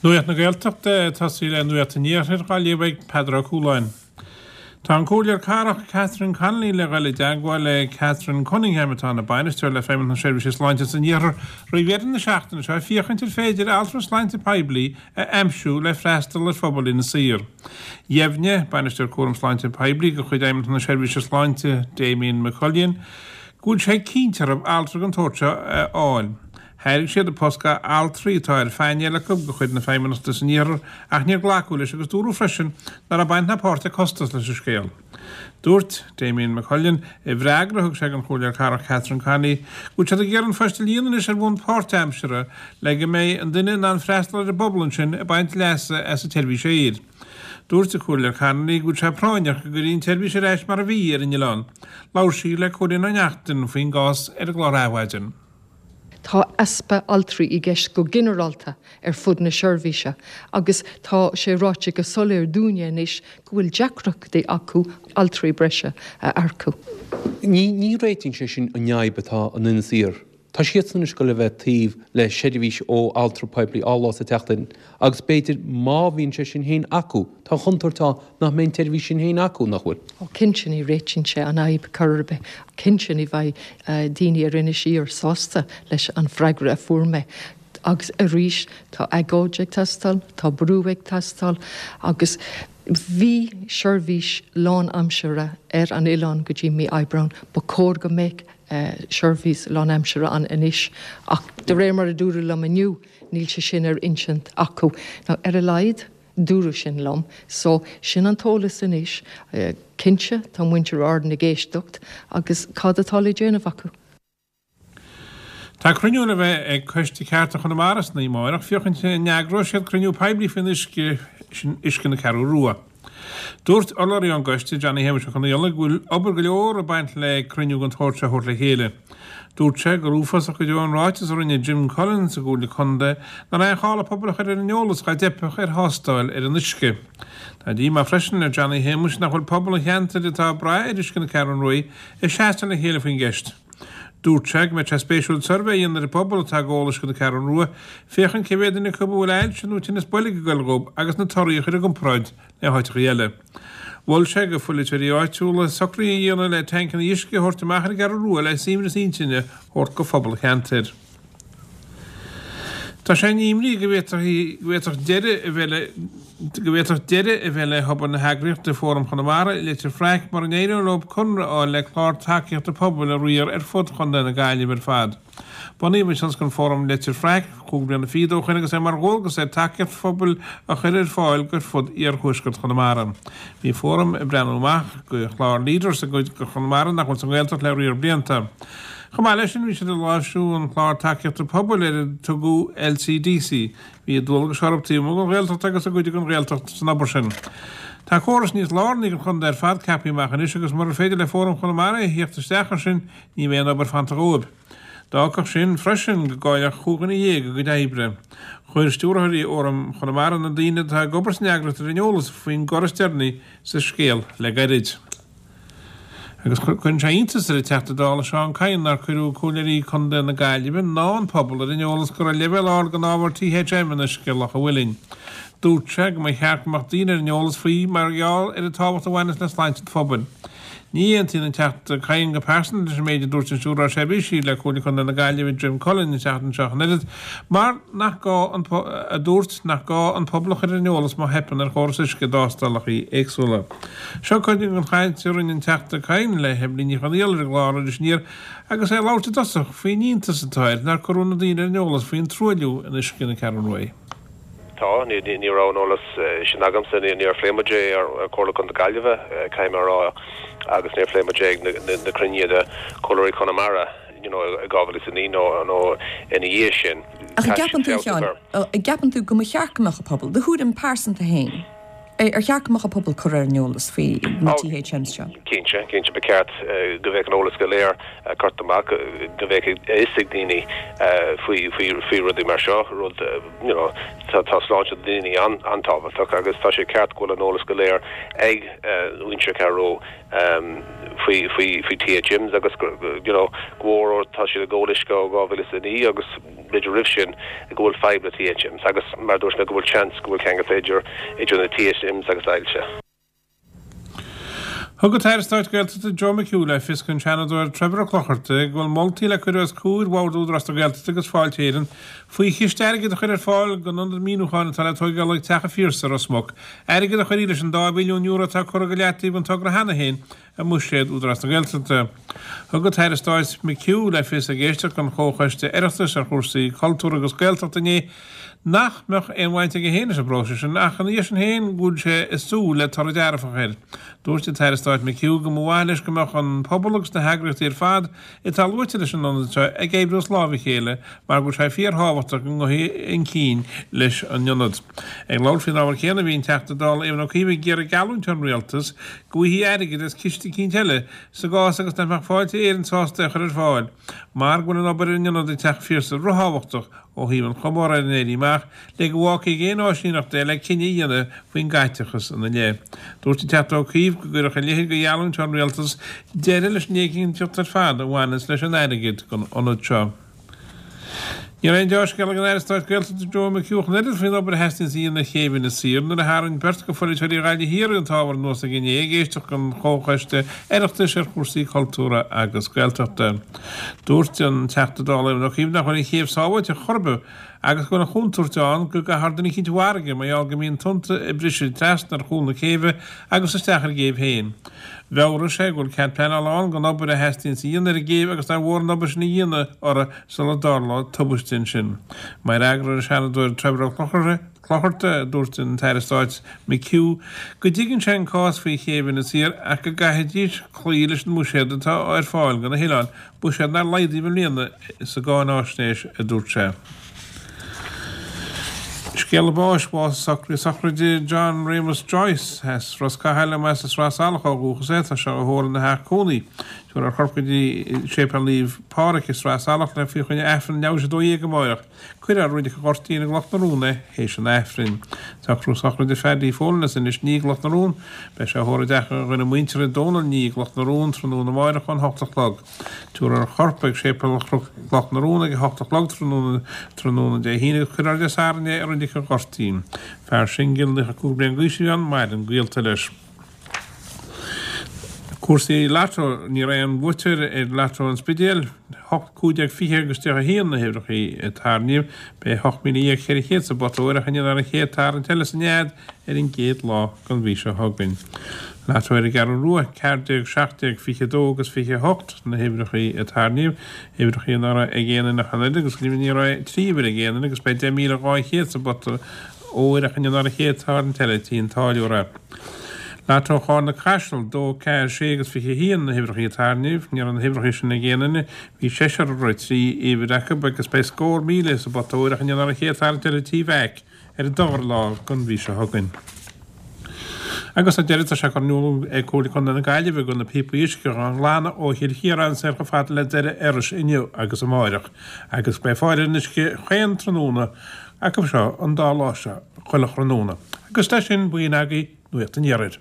Nuacht na Gaeltachta ag tosaí le Nuacht an Iarthair á léamh ag Peadar Ó Cualáin. Tá an Comhairleoir Cathrach Catherine Connolly le dhul i dteagmháil le Catherine Cunningham atá ina bainisteoir le Feidhmeannacht na Seirbhíse Sláinte san Iarthar roimh dheireadh na seachtaine seo féachaint ar féidir altra sláinte poiblí a aimsiú le freastal ar phobal Inis Oírr. Dheimhnigh Bainisteoir Cúram Sláinte Poiblí de chuid Fheidhmeannacht na Seirbhíse Sláinte, Damien McCullion, go bhfuil sé cinnte orthu altra den tsórt seo a fháil. Thairg siad an post go altraí atá ar phainéal acu de chuid na Feidhmeannachta san Iarthar ach níor glacadh leis agus dúradh freisin nach raibh baint ná páirt ag costas leis an scéal. Dúirt Damien McCullion, i bhfreagra a thug sé don Chomhairleoir Cathrach Catherine Connolly, go bhfuil siad ag iarraidh an phost a líonadh anois ar bhonn páirtaimseartha le go mbeidh an duine in ann freastal ar an bpobal ansin ag baint leasa as an tseirbhís aeir. Dúirt an Comhairleoir Connolly go bhfuil sé práinneach go gcuirfí an tseirbhís ar ais mar a bhí ar an oileán. Labhair sí le Cóilín Ó Neachtain faoin gcás ar an gclár Adhmhaidin. Tá easpa altraí i gceist go ginearálta ar fud na seirbhíse agus tá sé ráite go soiléir dúinne anois go bhfuil deacrachtaí acu altraí breise a earcú. Ní réitíonn sé sin an fhadhb atá in Inis Oírr. Tá siadsan anois ag goil a bheith taobh le seirbhís ó altra poiblí dhá lá sa tseachtain agus b'fhéidir má bhíonn sé sin féin acu, tá an chontúirt ann nach mbeidh an tseirbhís sin féin acu, nach bhfuil? Ó cinnte ní réitíonn sé an fhadhb chor ar bith. Cinnte ní bheidh daoine ar Inis Oírr sásta leis an freagra a fuair mé. Agus arís tá agóid ag teastáil, tá brú ag teastáil agus bhí seirbhís lánaimseartha ar an oileán go dtí mí Aibreán. Ba chóir go mbeadh seirbhís lánaimseartha ann anois ach de réir mar a dúradh liom inniu níl sé sin ar intinn acu. Nó ar a laghad dúradh sin liom. So sin an t-eolas anois. Cinnte tá muintir Árann ag éisteacht agus cad atá le déanamh acu? Tá cruinniú le bheith ag Coiste Cearta Chonamara san oíche amárach féachaint an n-eagróidh siad cruinniú poiblí faoin uisce, sin uisce na Ceathrú Rua. Dúirt urlabhraí ón gcoiste, Johnny Shéamuis Ó Conaola, go bhfuil obair go leor ag baint le cruinniú den tsórt seo a thabhairt le chéile. Dúirt sé gur uafásach go deo an ráiteas a rinne Jim Cullen sa gComhairle Contae nach raibh aon chall an pobal a chur ar an eolas dá dteipfeadh ar thástáil ar an uisce. Tá díomá freisin ar Johnny Shéamuis nach bhfuil pobal an cheantair atá ag brath ar uisce na Ceathrún Ruaidh ag seasamh le chéile faoin gceist. Dúirt sé go mbeadh sé spéisiúil suirbhé a dhéanamh ar an bpobal atá ag ól uisce na Ceathrún Rua féachaint cé mhéad duine acu a bhfuil ailse nó tinneas boilg ag goil dhób agus na torthaí a chur i gcomparáid le háiteacha eile. Mhol sé go pholaiteoirí áitiúla socruithe a dhéanamh le tancanna uisce a thabhairt amach ar an gCeathrú Rua le suaimhneas intinne a thabhairt go phobal an cheantair. Tá sé in imní go bhféadfadh deireadh a bheith le go bhféadfadh deireadh a bheith le hobair na heagraíochta Fóram Chonamara i Leitir Fraic mura n-éireoidh leo conradh a fháil le clár tacaíochta pobail a riar ar fud chontae na Gaillimhe ar fad. Bunaíodh an tionscnamh Fóram Leitir Fraic chúig bliana fichead ó shoin agus é mar dhualgas air tacaíocht phobail a chur ar fáil ar fud iarthuaisceart Chonamara. Bhí Fóram ag breathnú amach go chlár Leaders i gcuid de Chonamara nach bhfuil sa nGaeltacht le riar blianta. Chomh maith leis sin, bhí siad ag láimhsiú an chlár tacaíochta pobail ar a tugadh LCDC. Bhí dualgais orthu taobh amuigh den Ghaeltacht agus i gcuid den Ghaeltacht san obair sin. Tá córas níos lárnaí don chontae ar fad ceaptha amach anois agus murar féidir le Fóram Chonamara a thíocht isteach air sin ní bheidh aon obair fanta dhóibh. D'fhágfadh sin freisin go gcaillfeadh chúig dhuine dhéag a gcuid oibre. Chuir stiúrthóirí Fhóram Chonamara na daoine atá ag obair san eagraíocht ar an eolas faoin gcor is deireanaí sa scéal le gairid. Agus cuireann sé iontas ar an Teachta Dála Seán Kyne nár cuireadh Comhairleoirí Contae na Gaillimhe ná an pobal ar an eolas go raibh leibhéal ard den ábhar THM in uisce Loch an Mhuilinn. Dúirt sé go mba cheart go mbeadh daoine ar an eolas faoi mar gheall ar an tábhacht a bhaineas le sláinte an phobail. Ní aontaíonn an Teachta Kyne go pearsanta leis an méid a dúirt an Stiúrthóir Seirbhísí le Comhairle Contae na Gaillimhe Jim Cullen an tseachtain seo ach an oiread, mar nach gá an a dúirt nach gá an pobal a chur ar an eolas má theipeann ar chóras uisce i dtástálacha éagsúla. Seo cuid den chaint a rinne an Teachta Kyne le hEibhlín Ní Chonfhaola ar an gclár Iris Aniar agus é ag labhairt i dtosach faoin iontas atá air nár cuireadh na daoine ar an eolas faoin truailliú in uisce na Ceathrún Ruaidh. Tá, ní raibh an eolas sin agamsa, níor phléigh muid é ar Chomhairle Contae na Gaillimhe, caithfidh mé a rá, agus níor phléigh muid é ag na cruinnithe de Chomhairleoirí Chonamara, you know, i 2009 nó nó ina dhiaidh sin. Ach an gceapann tú, a Sheáin, an gceapann tú go mba cheart go mbeadh an pobal, do thuairim pearsanta féin? Ar cheart go mbeadh an pobal curtha ar an eolas faoi na THMs seo? Cinnte, cinnte, ba cheart go mbeadh an eolas go léir curtha amach, go mbeadh a fhios ag daoine faoi, faoi, faoi rudaí mar seo, rud, you know, tá, tá sláinte daoine an-tábhachtach agus tá sé ceart go bhfuil an eolas go léir ag muintir Cheathrú faoi, faoi, faoi THMs agus go, you know, go mhór tá siad ag ól uisce ó 2009 agus b'fhéidir roimh sin go bhfuil fadhb le THMs agus mar a dúirt mé go bhfuil seans go bhfuil ceangal idir, idir na THMs agus ailse. Thug an tAire Stáit Gaeltachta Joe McHugh le fios don Seanadóir Trevor Ó Clochartaigh go bhfuil moltaí le cur os comhair Bhord Údarás na Gaeltachta agus Fáilte Éireann faoi chiste airgid a chur ar fáil don ionad míniúcháin atá le tóigeáil ag Teach an Phiarsaigh i Ros Muc, airgead a chuirfidh leis an dá mhilliún euro atá curtha go leataobh don togra cheana féin i mbuiséad Údarás na Gaeltachta. Thug an tAire Stáit McHugh le fios ag éisteacht don Chomhchoiste Oireachtais ar chúrsaí Cultúir agus Gaeltachta inné nach mbeadh aon bhaint aige féin leis an bpróiseas sin ach ina dhiaidh sin féin go bhfuil sé ag súil le toradh dearfach air. Dúirt an tAire Stáit McHugh go mba mhaith leis go mbeadh an pobal agus na heagraíochtaí ar fad atá luaite leis an ionad seo ag oibriú as láimh a chéile mar go bhfuil sé fíorthábhachtach go ngabhfaí chun cinn leis an ionad. Ag labhairt faoin ábhar céanna bhí an Teachta Dála Éamon Ó Cuív ag iarraidh geallúint ón Rialtas go bhfaighfí airgead as ciste eicínt eile sa gcás agus nach mbeadh Fáilte Éireann sásta é a chur ar fáil mar go bhfuil an obair ar an ionad ag Teach an Phiarsaigh rithábhachtach ó thaobh an chomóradh ar an Éirí Amach le go bhfágfaí ag aon áisíneacht é le cinneadh a dhéanamh faoin gcaiteachas ina leith. Dúirt an Teachta Ó Cuív go gcuirfeadh a leithéid de gheallúint ón Rialtas deireadh leis an éiginnteacht ar fad a bhaineanns leis an airgead don ionad seo. Ní raibh aon deá-scéala ag an Aire Stáit Gaeltachta Joe McHugh ach an oiread faoin obair a theastaíonns a dhéanamh ar chéibh Inis Oírr nuair a tharraing beirt de pholaiteoirí Ghaillimh Thiar an t-ábhar anuas aige inné ag éisteacht don Chomhchoiste Oireachtais ar chúrsaí Cultúrtha agus Gaeltachta. Dúirt an Teachta Dála Éamon Ó Cuív nach bhfuil an chéibh sábháilte chor ar bith agus go bhfuil an chontúirt ann go gcaithfear duine eicínt i bhfarraige mar gheall go mbíonn tonnta ag briseadh trasna ar chúl na céibhe agus isteach ar an gcéibh féin. Mheabhraigh sé go bhfuil cead pleanála ann don obair a theastaíonns a dhéanamh ar an gcéibh agus nár mhór an obair sin a dhéanamh uirthi sula dtarlóidh tubaiste ansin. Mar fhreagra ar an Seanadóir Trevor Ó Clochartaigh, dúirt an tAire Stáit McHugh go dtuigeann sé an cás faoi chéibh Inis Oírr ach go gcaithfidís cloí leis an mbuiséad atá ar fáil do na hoileáin, buiséad nár laghdaíodh i mbliana sa gcáináisnéis, a dúirt sé. Scéala báis, Bhásaigh socraíodh sochraide John Réamus Joyce as Ros Cathail más as Sraith Salach ó dhúchas é. Tá sé á thórramh ina theach cónaí. Tabharfar a chorp go dtí Séipéal Naomh Pádraig i Sraith Salach le faoi choinne Aifreann leathuair tar éis 12 amáireach. Cuirfear i Reilig an Ghoirtín i gCloch na Rón é théis an Aifrinn. Socrú sochraide Phaddy Folan as Inis Ní i gCloch na Rón. Beidh sé á thórramh i dteach a dhuine muinteartha Dónal Ní i gCloch na Rón tráthnóna amáireach ón 8 a chlog. Tabharfar a chorp ag Séipéal Chloch na Rón ag 8 a chlog tráthnóna tráthnóna Dé hAoine agus cuirfear Dé Sathairn é i Reilig an Ghoirtín. Fear singil 95 bliain d'aois a bhí ann, maireann gaolta leis. Cúrsaí Lotto, Ní raibh aon bhuaiteoir ar Lotto an Spidéil, 8, 15, 20 agus 31 na huimhreacha a tarraingíodh. Beidh 18,400 sa bpota óir ach inniu ar an chéad tarraingt eile sa nead ar an gcéad lá den mhí seo chugainn. Lotto ar an gCeathrú Rua, 14, 17, 22 agus 28 na huimhreacha a tarraingíodh, uimhreacha nach raibh ag aon duine ach an oiread agus go deimhin ní raibh 3 uimhir ag aon duine agus beidh 10,200 sa bpota óir ach inniu ar an chéad tarraingt eile tí an táilliúra. Lotto Charna Caiseal, 2, 4, 6 agus 21 na huimhreacha a tarraingíodh. Ní raibh na huimhreacha sin ag aon duine. Bhí seisear a raibh 3 uimhir acu agus beidh scór 1,000 sa bpota óir ach inniu ar an chéad tarraingt eile tí Mheaic ar an dara lá den mhí seo chugainn. Agus ar deireadh tá sé curtha in iúl ag Comhairle Contae na Gaillimhe go bhfuil na píopaí uisce á nglanadh ó Chill Chiaráin soir chomh fada le Doire Iorrais inniu agus amáireach agus beidh fáil ar an uisce chaon tráthnóna acu seo an dá lá seo chuile thráthnóna. Agus leis sin b'in agaibh Nuacht an Iarthair.